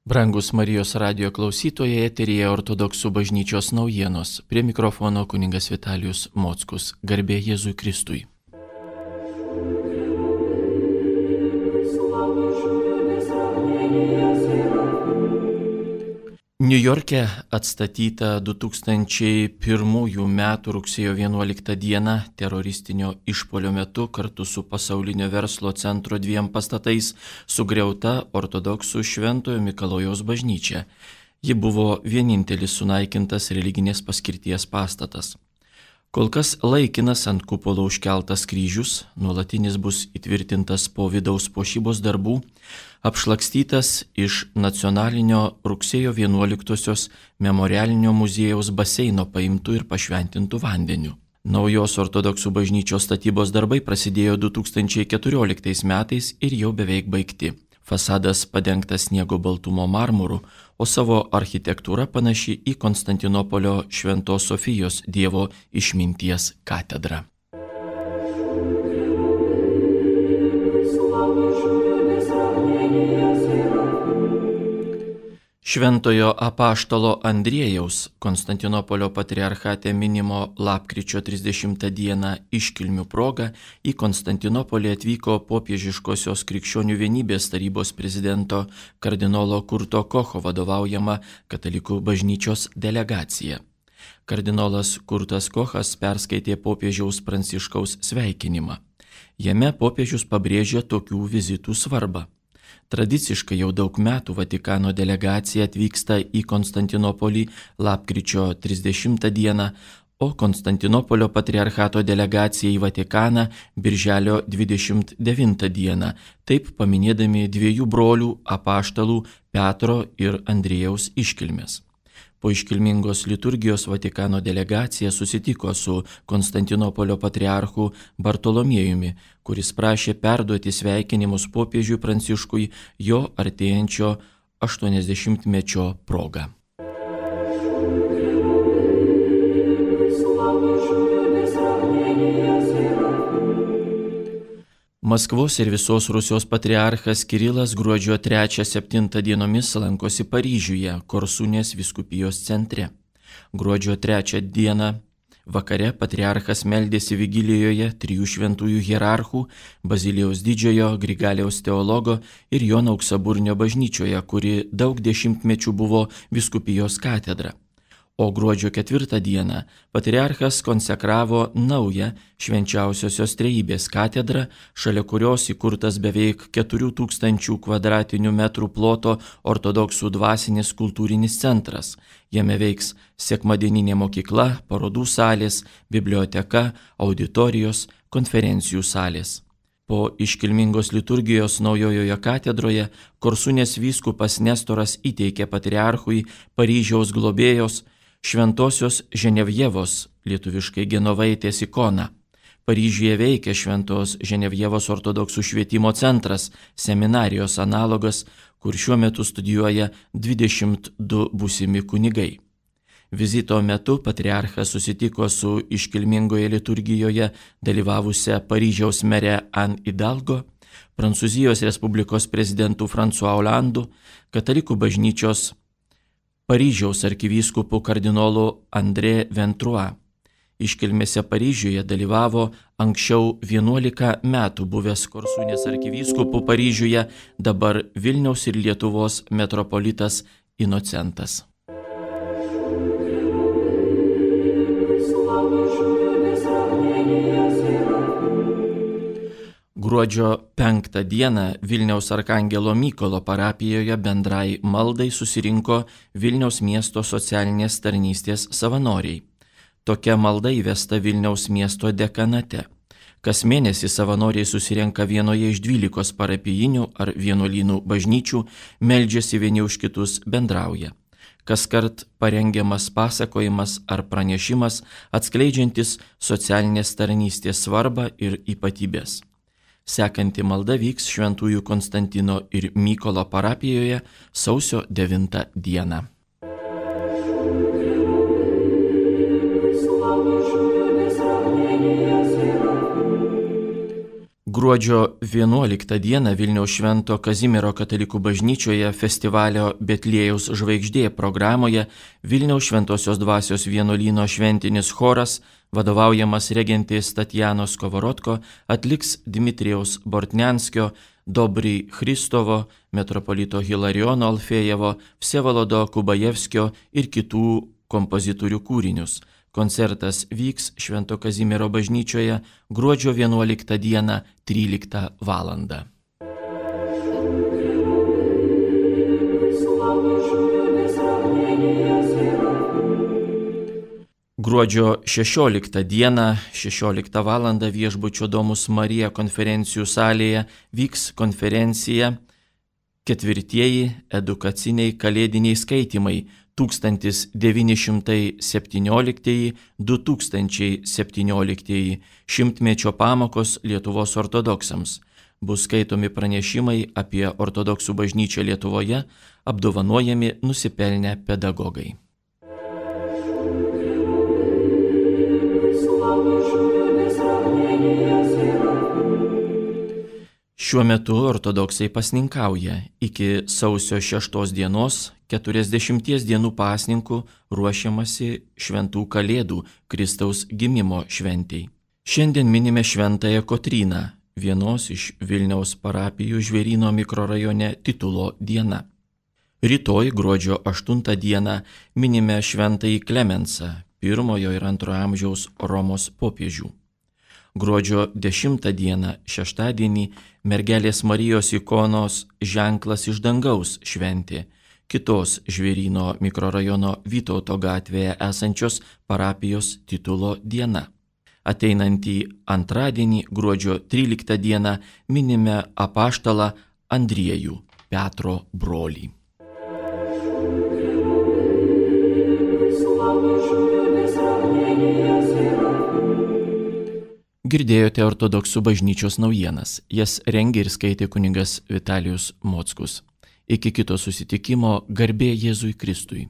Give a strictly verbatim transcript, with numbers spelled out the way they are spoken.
Brangus Marijos radijo klausytojai, eteryje Ortodoksų bažnyčios naujienos. Prie mikrofono kunigas Vitalijus Mockus. Garbė Jėzui Kristui. Niujorke atstatyta du tūkstančiai pirmųjų metų rugsėjo vienuoliktą dieną teroristinio išpuolio metu kartu su pasaulinio verslo centro dviem pastatais sugriauta ortodoksų Šventojo Mikalojaus bažnyčia. Ji buvo vienintelis sunaikintas religinės paskirties pastatas. Kol kas laikinas ant kupolo užkeltas kryžius, nuolatinis bus įtvirtintas po vidaus puošybos darbų, apšlakstytas iš nacionalinio rugsėjo vienuoliktosios memorialinio muziejaus baseino paimtų ir pašventintų vandeniu. Naujos ortodoksų bažnyčios statybos darbai prasidėjo du tūkstančiai keturioliktais metais ir jau beveik baigti. Fasadas padengtas sniego baltumo marmuru, o savo architektūra panaši į Konstantinopolio Šventos Sofijos Dievo išminties katedrą. Šventojo apaštalo Andriejaus Konstantinopolio patriarchate minimo lapkričio trisdešimtą dieną iškilmių proga į Konstantinopolį atvyko popiežiškosios krikščionių vienybės tarybos prezidento kardinolo Kurto Kocho vadovaujama katalikų bažnyčios delegacija. Kardinolas Kurtas Kochas perskaitė popiežiaus Pranciškaus sveikinimą. Jame popiežius pabrėžė tokių vizitų svarbą. Tradiciškai jau daug metų Vatikano delegacija atvyksta į Konstantinopolį lapkričio trisdešimtą dieną, o Konstantinopolio patriarchato delegacija į Vatikaną birželio dvidešimt devintą dieną, taip paminėdami dviejų brolių apaštalų Petro ir Andriejaus iškilmes. Po iškilmingos liturgijos Vatikano delegacija susitiko su Konstantinopolio patriarchu Bartolomiejumi, kuris prašė perduoti sveikinimus popiežiui Pranciškui jo artėjančio aštuoniasdešimtmečio proga. Maskvos ir visos Rusijos patriarchas Kirilas gruodžio trečią septintą dienomis lankosi Paryžiuje, Korsunės vyskupijos centre. Gruodžio trečią dieną vakare patriarchas meldėsi vigilijoje trijų šventųjų hierarchų, Bazilijaus didžiojo, Grigaliaus teologo ir Jono Auksaburnio bažnyčioje, kuri daug dešimtmečių buvo vyskupijos katedra. O gruodžio ketvirtą dieną patriarchas konsekravo naują Švenčiausiosios Trejybės katedrą, šalia kurios įkurtas beveik keturių tūkstančių kvadratinių metrų ploto ortodoksų dvasinis kultūrinis centras. Jame veiks sekmadieninė mokykla, parodų salės, biblioteka, auditorijos, konferencijų salės. Po iškilmingos liturgijos naujojoje katedroje Korsunės vyskupas Nestoras įteikė patriarchui Paryžiaus globėjos Šventosios Ženevjevos, lietuviškai Genovaitės ikoną. Paryžiuje veikia Šventos Ženevjevos ortodoksų švietimo centras, seminarijos analogas, kur šiuo metu studijuoja dvidešimt du būsimi kunigai. Vizito metu patriarchas susitiko su iškilmingoje liturgijoje dalyvavusia Paryžiaus mere Anne Hidalgo, Prancūzijos Respublikos prezidentu François Hollandu, katalikų bažnyčios Paryžiaus arkivyskupu kardinolu André Ventrua. Iškilmėse Paryžiuje dalyvavo anksčiau vienuolika metų buvęs Korsunės arkivyskupu Paryžiuje, dabar Vilniaus ir Lietuvos metropolitas Inocentas. Gruodžio penktą dieną Vilniaus Arkangelo Mykolo parapijoje bendrai maldai susirinko Vilniaus miesto socialinės tarnystės savanoriai. Tokia malda įvesta Vilniaus miesto dekanate. Kas mėnesį savanoriai susirenka vienoje iš dvylikos parapijinių ar vienuolynų bažnyčių, meldžiasi vieni už kitus, bendrauja. Kaskart parengiamas pasakojimas ar pranešimas atskleidžiantis socialinės tarnystės svarbą ir ypatybės. Sekanti malda vyks Šventųjų Konstantino ir Mykolo parapijoje sausio devintą dieną. Gruodžio vienuoliktą dieną Vilniaus Švento Kazimiero katalikų bažnyčioje festivalio Betliejaus žvaigždė programoje Vilniaus Šventosios dvasios vienuolyno šventinis choras, vadovaujamas regentės Tatjanos Kovorodko, atliks Dmitrijaus Bortnianskio, Dobrij Christovo, metropolito Hilariono Alfėjevo, Vsevolodo Kubajevskio ir kitų kompozitorių kūrinius. Koncertas vyks Švento Kazimiero bažnyčioje gruodžio vienuoliktą dieną tryliktą valandą. Gruodžio šešioliktą dieną šešioliktą valandą viešbučio Domus Marija konferencijų salėje vyks konferencija Ketvirtieji edukaciniai kalėdiniai skaitymai tūkstantis devyni šimtai septynioliktieji - du tūkstančiai septynioliktieji šimtmečio pamokos Lietuvos ortodoksams. Bus skaitomi pranešimai apie ortodoksų bažnyčią Lietuvoje, apdovanojami nusipelnę pedagogai. Šiuo metu ortodoksai pasninkauja. Iki sausio šeštos dienos keturiasdešimties dienų pasninkų ruošiamasi šventų kalėdų Kristaus gimimo šventei. Šiandien minime šventąją Kotryną, vienos iš Vilniaus parapijų Žvėryno mikrorajone titulo diena. Rytoj gruodžio aštuntą dieną minime šventąjį Klemensą, pirmojo ir antrojo amžiaus Romos popiežių. Gruodžio dešimtą dieną šeštadienį Mergelės Marijos ikonos ženklas iš dangaus šventė, kitos Žvėryno mikrorajono Vytauto gatvėje esančios parapijos titulo diena. Ateinantį antradienį gruodžio tryliktą dieną minime apaštalą Andriejų, Petro brolį. Girdėjote ortodoksų bažnyčios naujienas. Jas rengė ir skaitė kunigas Vitalijus Mockus. Iki kito susitikimo, garbė Jėzui Kristui.